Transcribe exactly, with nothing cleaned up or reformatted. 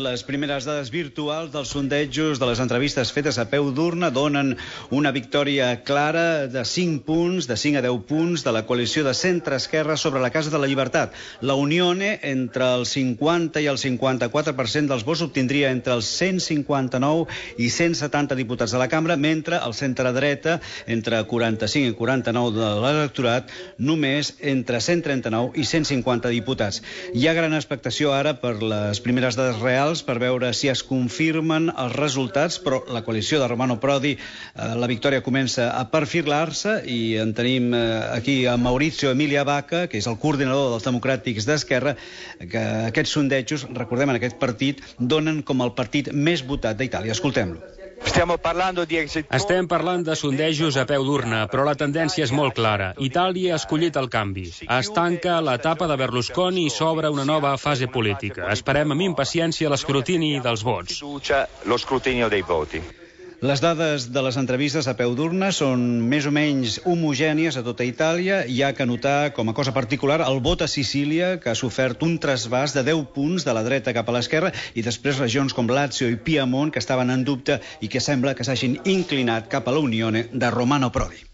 Les primeres dades virtuals dels sondejos de les entrevistes fetes a peu d'urna donen una victòria clara de cinc punts, de cinc a deu punts, de la coalició de centre-esquerra sobre la Casa de la Llibertat. La Unione, entre el cinquanta i el cinquanta-quatre per cent dels vots, obtindria entre els cent cinquanta-nou i cent setanta diputats de la cambra, mentre el centre-dreta, entre quaranta-cinc i quaranta-nou de l'electorat, només entre cent trenta-nou i cent cinquanta diputats. Hi ha gran expectació ara per les primeres dades reals per veure si es confirmen els resultats, però la coalició de Romano Prodi, eh, la victòria comença a perfilar-se i en tenim eh, aquí a Maurizio Emilia Vacca, que és el coordinador dels democràtics d'Esquerra, que aquests sondejos, recordem, en aquest partit, donen com el partit més votat d'Itàlia. Escoltem-lo. Estem parlant de sondejos a peu d'urna, però la tendència és molt clara. Itàlia ha escollit el canvi. Es tanca l'etapa de Berlusconi i s'obre una nova fase política. Esperem amb impaciència l'escrutini dels vots. Les dades de les entrevistes a peu d'urna són més o menys homogènies a tota Itàlia. Hi ha que notar, com a cosa particular, el vot a Sicília, que ha sofert un trasbàs de deu punts de la dreta cap a l'esquerra, i després regions com Lazio i Piemont, que estaven en dubte i que sembla que s'hagin inclinat cap a la Unione de Romano Prodi.